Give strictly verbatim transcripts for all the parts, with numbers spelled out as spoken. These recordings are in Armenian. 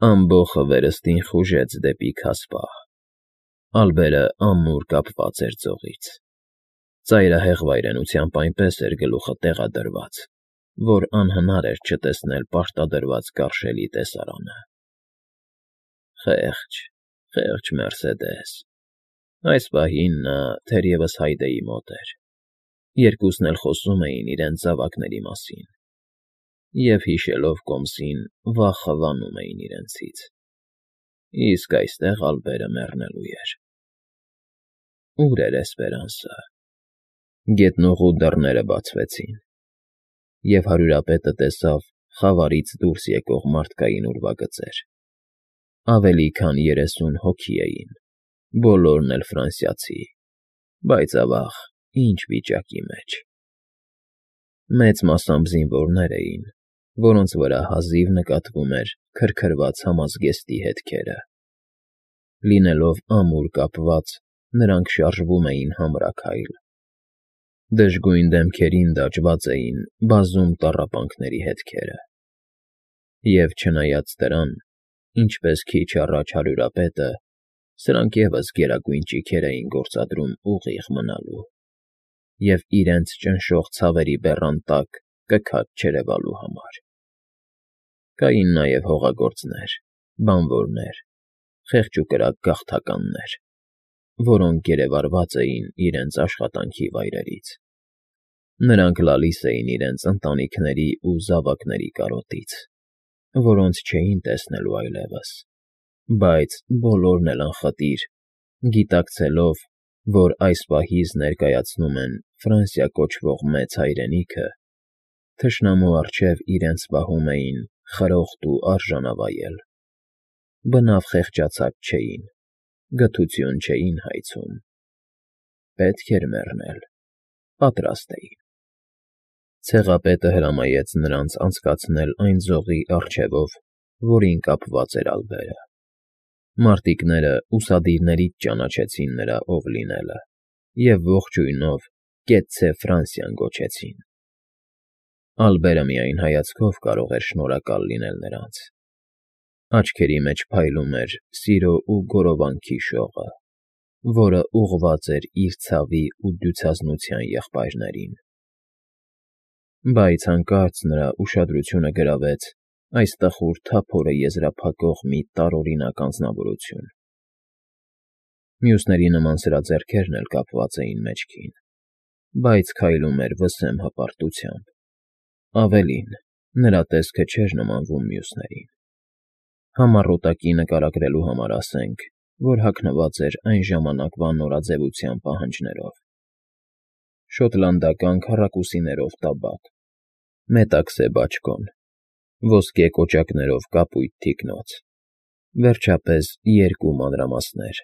Ամբոխը վերստին խուժեց դեպի քասպահ, ալբերը ամուր կապված էր ձողից, ծայրահեղ վայրենությամբ այնպես էր գլուխը տեղադրված, որ անհնար էր չտեսնել պարտադրված կարշելի տեսարանը։ Խեղճ, խեղճ Մերսեդես, այս պահին նա թերևս Հայդեի մոտ էր, երկուսն էլ խոսում էին իրենց զավակների մասին, և հիշելով կոմսին վախը վանում էին իրենցից, իսկ այստեղ ալբերը մեռնելու էր։ Ո՞ւր էր Էսպերանսը։ Գետնուղու դռները բացվեցին, և հարյուրապետը տեսավ խավարից դուրս եկող մարդկային ուրվագծեր, ավելի քան երեսուն հոգի էին, բոլորն էլ ֆրանսիացի, բայց, ավա՜ղ, ինչ վիճակի մեջ… Մեծ մասամբ զինվորներ էին, որոնց վրա հազիվ նկատվում էր քրքրված համազգեստի հետքերը. լինելով ամուր կապված, նրանք շարժվում էին համրաքայլ, դժգույն դեմքերին դաջված էին բազում տառապանքների հետքերը, և չնայած դրան, ինչպես քիչ առաջ հարյուրապետը, սրանք ևս գերագույն ճիգեր էին գործադրում ուղիղ մնալու և իրենց ճնշող ցավերի բեռան տակ կքած չերևալու համար։ Կային նաև հողագործներ, բանվորներ, խեղճ ու կրակ գաղթականներ, որոնք գերեվարված էին իրենց աշխատանքի վայրերից. նրանք լալիս էին իրենց ընտանիքների ու զավակների կարոտից, որոնց չէին տեսնելու այլևս, բայց բոլորն էլ անխտիր, գիտակցելով, որ այս պահից ներկայացնում են Ֆրանսիա կոչվող մեծ հայրենիքը, թշնամու առջև իրենց պահում էին խրոխտ ու արժանավայել, բնավ խեղճացած չէին, գթություն չէին հայցում, պետք էր մեռնել, պատրաստ էին։ Ցեղապետը հրամայեց նրանց անցկացնել այն ձողի առջևով, որին կապված էր ալբերը։ Մարտիկները ուսադիրներից ճանաչեցին նրա ով լինելը և ողջույնով «Կեցցե Ֆրանսիան» գոչեցին։ Ալբերը միայն հայացքով կարող էր շնորհակալ լինել նրանց. աչքերի մեջ փայլում էր սիրո ու գոռովանքի շողը, որը ուղղված էր իր ցավի ու դյուցազնության եղբայրներին։ Բայց հանկարծ նրա ուշադրությունը գրավեց այս տխուր թափորը եզրափակող մի տարօրինակ անձնավորություն։ Մյուսների նման սրա ձեռքերն էլ կապված էին մեջքին, բայց քայլում էր վսեմ հպարտությամբ, ավելին, նրա տեսքը չէր նմանվում մյուսներին։ Համառոտակի նկարագրելու համար ասենք, որ հագնված էր այն ժամանակվա նորաձևության պահանջներով. շոտլանդական քառակուսիներով տաբատ, մետաքսե բաճկոն, ոսկե կոճակներով կապույտ թիկնոց, վերջապես երկու մանրամասներ,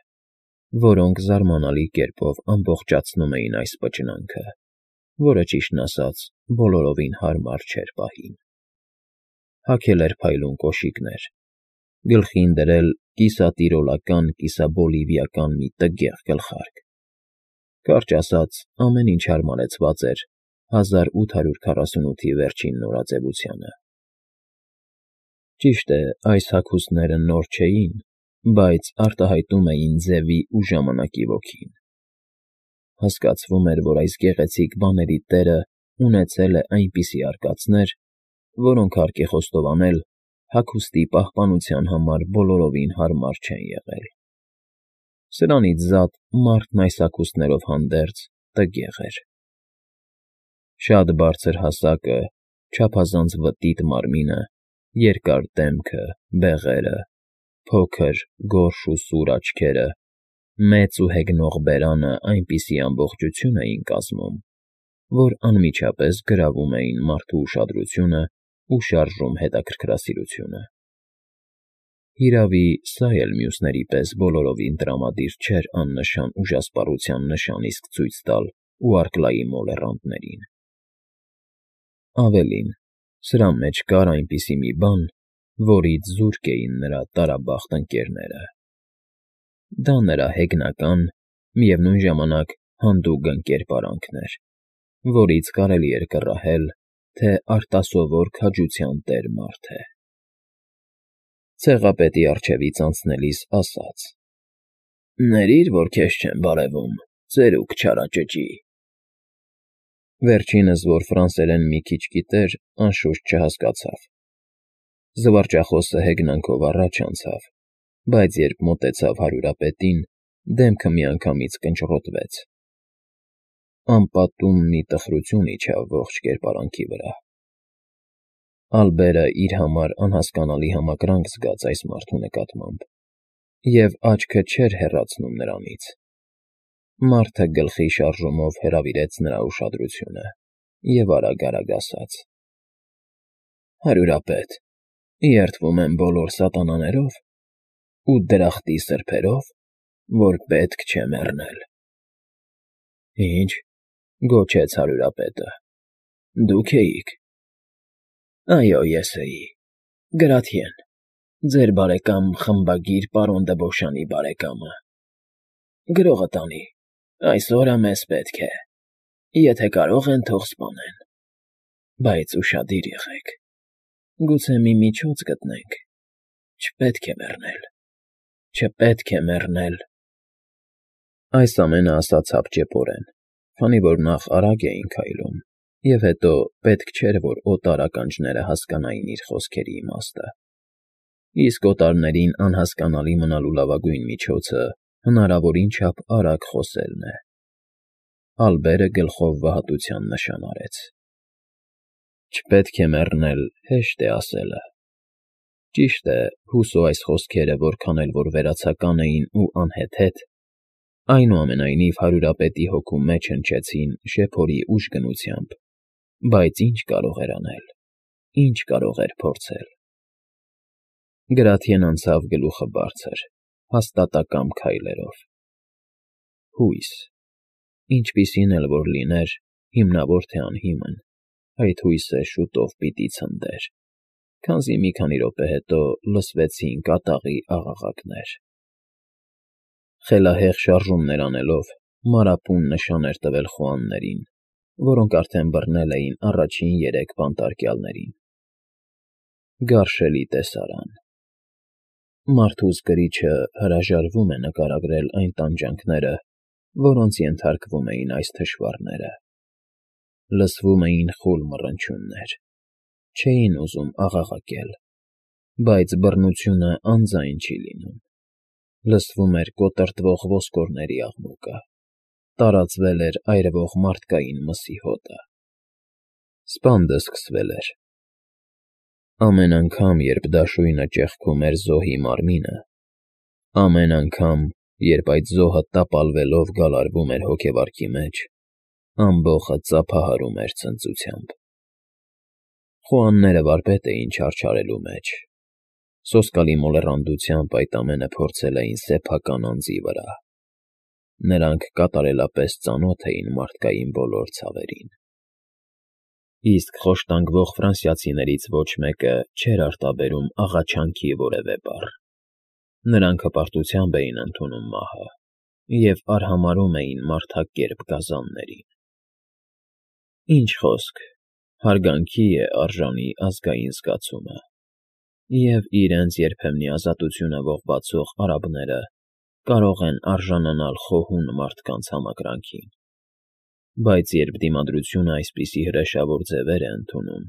որոնք զարմանալի կերպով ամբողջացնում էին այս վճնանքը, որը, ճիշտն ասած, բոլորովին հարմար չէր պահին։ Հագել էր փայլուն կոշիկներ, գլխին դրել կիսատիրոլական֊կիսաբոլիվիական մի տգեղ գլխարկ, կարճ ասած, ամեն ինչ հարմարեցված էր հազար ութ հարյուր քառասունութի վերջին նորաձևությանը։ Ճիշտ է, այս հագուստները նոր չէին, բայց արտահայտում էին ձևի ու ժամանակի ոգին։ Հասկացվում էր, որ այս գեղեցիկ բաների տերը ունեցել է այնպիսի արկածներ, որոնք, հարկ է խոստովանել, հագուստի պահպանության համար բոլորովին հարմար չեն եղել։ Սրանից զատ մարդն այս հագուստներով հանդերձ տգեղ էր։ Շատ բարձր հասակը, չափազանց վտիտ մարմինը, երկար դեմքը, բեղերը, փոքր, գորշ ու սուր աչքերը, մեծ ու հեգնող բերանը այնպիսի ամբողջություն էին կազմում, որ անմիջապես գրավում էին մարդու ուշադրությունն ու շարժում հետաքրքրասիրությունը։ Հիրավի, սա էլ մյուսների պես բոլորովին տրամադիր չէր աննշան ուժասպառության նշան իսկ ցույց տալ ու արկլայի մոլեռանդներին։ Ավելին, սրա մեջ կար այնպիսի մի բան, որից զուրկ էին նրա տարաբախտ ընկերները։ Դա նրա հեգնական, միևնույն ժամանակ հանդուգն կերպարանքն էր, որից կարելի էր կռահել, թե արտասովոր քաջության տեր մարդ է։ Ցեղապետի առջևից անցնելիս ասաց. «Ներիր, որ քեզ չեմ բարևում, ծերուկ չարաճճի»։ Վերջինս, որ ֆրանսերեն մի քիչ գիտեր, անշուշտ չհասկացավ։ Զվարճախոսը հեգնանքով առաջ անցավ, բայց երբ մոտեցավ հարյուրապետին, դեմքը միանգամից կնճռոտվեց։ Անպատում մի տխրություն իջավ ողջ կերպարանքի վրա։ Ալբերը իր համար անհասկանալի համակրանք զգաց այս մարդու նկատմամբ և աչքը չէր հեռացնում նրանից։ Մարդը գլխի շարժումով հրավիրեց նրա ուշադրությունը և արագ-արագ ասաց. «Հարյուրապետ, երդվում եմ բոլոր սատանաներով ու դրախտի սրբերով, որ պետք չէ մեռնել»։ «Ի՞նչ,֊ գոչեց հարյուրապետը,֊ դուք էիք»։ «Այո, ես էի, Գրաթիեն, ձեր բարեկամ խմբագիր պարոն Դբոշյանի բարեկամը։ Գրողը տանի, այսօրը մեզ պետք է, եթե կարող են, թող սպանեն, բայց ուշադիր եղեք, գուցե մի միջոց գտնենք, չպետք է մեռնել, չպետք է մեռնել»։ Այս ամենը ասաց հապճեպորեն, քանի որ նախ արագ էին քայլում, և հետո պետք չէր, որ օտար ականջները հասկանային իր խոսքերի իմաստը, իսկ օտարներին անհասկանալի մնալու լավագույն միջոցը հնարավորին չափ արագ խոսելն է։ Ալբերը գլխով վհատության նշան արեց։ Չպետք է մեռնել հեշտ է ասելը։ Ճիշտ է, հուսո այս խոսքերը որքան էլ որ վերացական էին ու անհեթեթ, այնուամենայնիվ հարյուրապետի հոգու մեջ հնչեցին շեփորի ուժգնությամբ, բայց ի՞նչ կարող էր անել, ի՞նչ կարող էր փորձել։ Գրաթիեն անցավ գլուխը բարձր, հաստատակամ քայլերով։ Հույս, ինչպիսին էլ որ լիներ, հիմնավոր թե անհիմն, այդ հույսը շուտով պիտի ցնդեր, քանզի մի քանի րոպե հետո լսվեցին կատաղի աղաղակներ։ Խելահեղ շարժումներ անելով՝ մանրապուն նշան էր տվել խոհաններին, որոնք արդեն բռնել էին առաջին երեք բանտարկյալներին։ Գարշելի տեսարան։ Մարդուս կրիչը հրաժարվում է նկարագրել այն տանջանքները, որոնց ենթարկվում էին այս թշվառները։ Լսվում էին խուլ մռնչյուններ, չէին ուզում աղաղակել, բայց բռնությունը անձայն չի լինում։ Լսվում էր կոտրտվող ոսկորների աղմուկը, տարածվել էր այրվող մարդկային մսի հոտը։ Սպանդը սկսվել էր։ Ամեն անգամ, երբ դաշույնը ճեղքում էր զոհի մարմինը, ամեն անգամ, երբ այդ զոհը տապալվելով գալարվում էր հոգեվարքի մեջ, ամբոխը ծափահարում էր ցնծությամբ։ Խոհանները վարպետ էին չարչարելու մեջ։ Սոսկալի մոլեռանդությամբ այդ ամենը փորձել էին սեփական անձի վրա։ Նրանք կատարելապես ծանոթ էին մարդկային բոլոր ցավերին։ Իսկ խոշտանգվող ֆրանսիացիներից ոչ մեկը չէր արտաբերում աղաչանքի որևէ բառ։ Նրանք հպարտությամբ էին ընդունում մահը և արհամարհում էին մարդակերպ գազաններին։ Ինչ խոսք, հարգանքի է արժանի ազգային զգացումը, և իրենց երբեմնի ազատությունը ողբացող արաբները կարող են արժանանալ խոհուն մարդկանց համակրանքին։ Բայց երբ դիմադրությունը այսպիսի հրեշավոր ձևեր է ընդունում,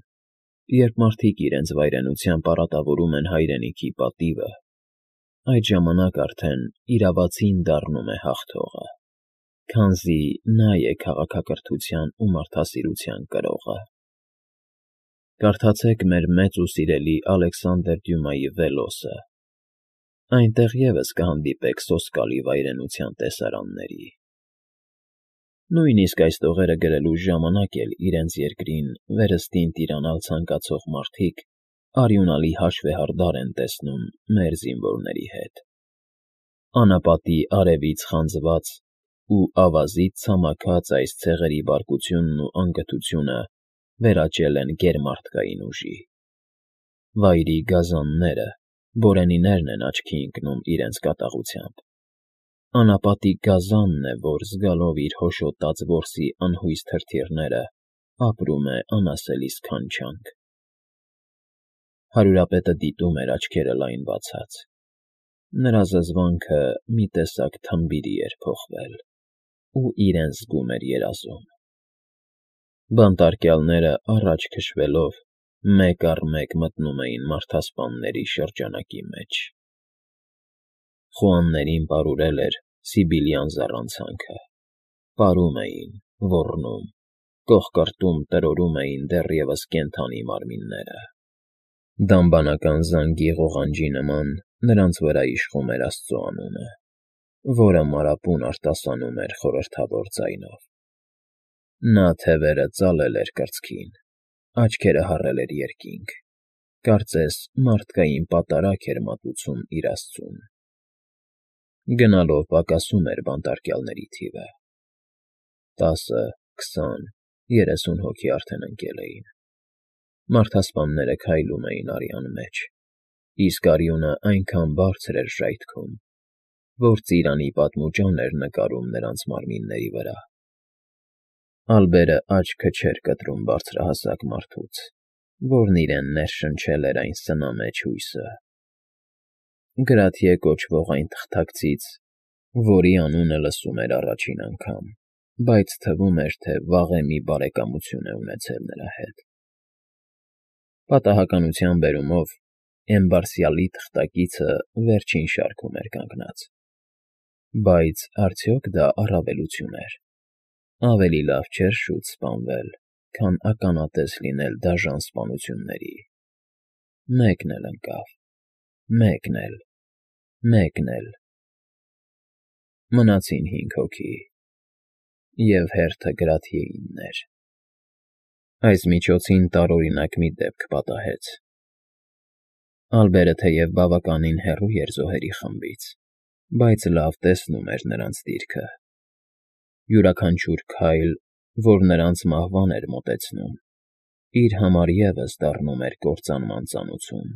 երբ մարդիկ իրենց վայրենությամբ առատավորում են հայրենիքի պատիվը, այդ ժամանակ արդեն իրավացին դառնում է հաղթողը, քանզի նա է քաղաքակրթության ու մարդասիրության կրողը։ Կարդացեք մեր մեծ ու սիրելի Ալեքսանդր Դյումայի «Վելոսը», այնտեղ ևս կհանդիպեք սոսկալի վայրենության տեսարանների։ Նույնիսկ այս տողերը գրելու ժամանակ էլ իրենց երկրին վերստին տիրանալ ցանկացող մարդիկ արյունալի հաշվեհարդար են տեսնում մեր զինվորների հետ։ Անապատի արևից խանձված ու ավազից ցամաքած այս ցեղերի բարկությունն ու անգթությունը վերաճել են գերմարդկային ուժի։ Վայրի գազանները, բորենիներն են աչքի ընկնում իրենց կատաղությամբ։ Անապատի գազանն է, որ զգալով իր հոշոտած որսի անհույս թրթիռները, ապրում է անասելի սքանչանք։ Հարյուրապետը դիտում էր աչքերը լայն բացած. նրա զզվանքը մի տեսակ թմբիրի էր փոխվել ու իրեն զգում էր երազում։ Բանտարկյալները առաջ քշվելով մեկ առ մեկ մտնում էին մարդասպանների շրջանակի մեջ։ Խուաններին պարուրել էր Սիբիլյան զառանցանքը, պարում էին, ոռնում, կոխկրտում տրորում էին դեռևս կենդանի մարմինները։ Դամբանական զանգի ղողանջի նման նրանց վրա իշխում էր Աստծո անունը, որը մարապուն արտասանում էր խորհրդավոր ձայնով։ Նա թևերը ծալել էր կրծքին, աչքերը հառել էր երկինք, կարծես մարդկային պատարագ էր մատուցում իր Աստծուն։ Գնալով պակասում էր բանտարկյալների թիվը։ Տասը, քսան, երեսուն հոգի արդեն ընկել էին։ Մարդասպանները քայլում էին արյան մեջ, իսկ արյունը այնքան բարձր էր ժայթքում, որ ծիրանի պատմուճան էր նկարում նրանց մարմինների վրա։ Ալբերը աչքը չէր կտրում բարձրահասակ մարդուց, որն իրեն ներշնչել էր այն սնամեջ հույսը։ Գրաթիե կոչվող այն թղթակցից, որի անունը լսում էր առաջին անգամ, բայց թվում էր, թե վաղեմի բարեկամություն է ունեցել նրա հետ։ Պատահականության բերումով Էմբարսյալի թղթակիցը վերջին շարքում էր կանգնած։ Բայց արդյոք դա առավելություն էր։ Ավելի լավ չէր շուտ սպանվել, քան ականատես լինել դաժան սպանությունների։ Մեկն էլ ընկավ, մեկն էլ, մեկն էլ… Մնացին հինգ հոգի, և հերթը Գրաթիեինն էր։ Այս միջոցին տարօրինակ մի դեպք պատահեց։ Ալբերը թեև բավականին հեռու էր զոհերի խմբից, բայց լավ տեսնում էր նրանց դիրքը։ Յուրաքանչյուր քայլ, որ նրանց մահվան էր մոտեցնում, իր համար ևս դառնում էր կործանման ծանոցում։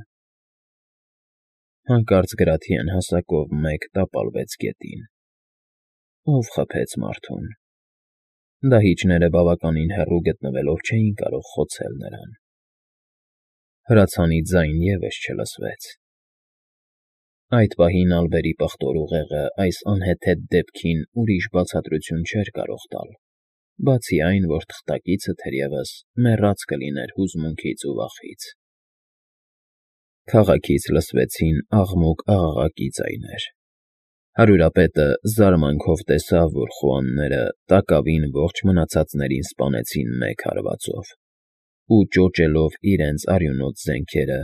Հանկարծ Գրաթիեն հասակով մեկ տապալվեց գետին։ Ո՞վ խփեց մարդուն։ Դահիճները բավականին հեռու գտնվելով չէին կարող խոցել նրան։ Հրացանի ձայն ևս չլսվեց։ Այդ պահին Ալբերի պղտոր ուղեղը այս անհեթեթ դեպքին ուրիշ բացատրություն չէր կարող տալ, բացի այն, որ թղթակիցը թերևս մեռած կլիներ հուզմունքից ու վախից։ Քաղաքից լսվեցին աղմուկ֊աղաղակի ձայներ։ Հարյուրապետը զարմանքով տեսավ, որ խուանները տակավին ողջ մնացածներին սպանեցին մեկ հարվածով ու, ճոճելով իրենց արյունոտ զենքերը,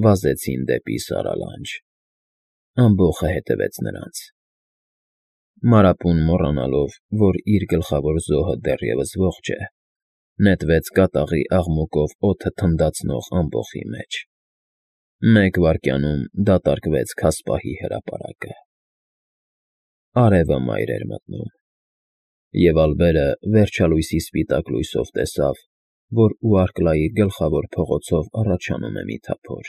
վազեցին դեպի Սարալանջ։ Ամբոխը հետևեց նրանց։ Մարապուն մոռանալով, որ իր գլխավոր զոհը դեռևս ողջ է, նետվեց կատաղի աղմուկով օդը թնդացնող ամբոխի մեջ։ Մեկ վայրկյանում դատարկվեց քասպահի հրապարակը։ Արևը մայր էր մտնում, և Ալբերը վերջալույսի սպիտակ լույսով տեսավ, որ Ուարկլայի գլխավոր փողոցով առաջանում է մի թափոր։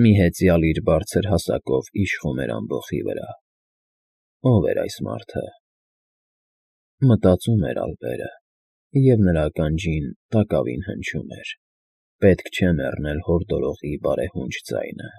Մի հեծյալ իր բարձր հասակով իշխում էր ամբոխի վրա։ Ո՞վ էր այս մարդը։ Մտածում էր Ալբերը, և նրա ականջին տակավին հնչում էր. «Պետք չէ մեռնել հորդորողի բարեհունչ ձայնը»։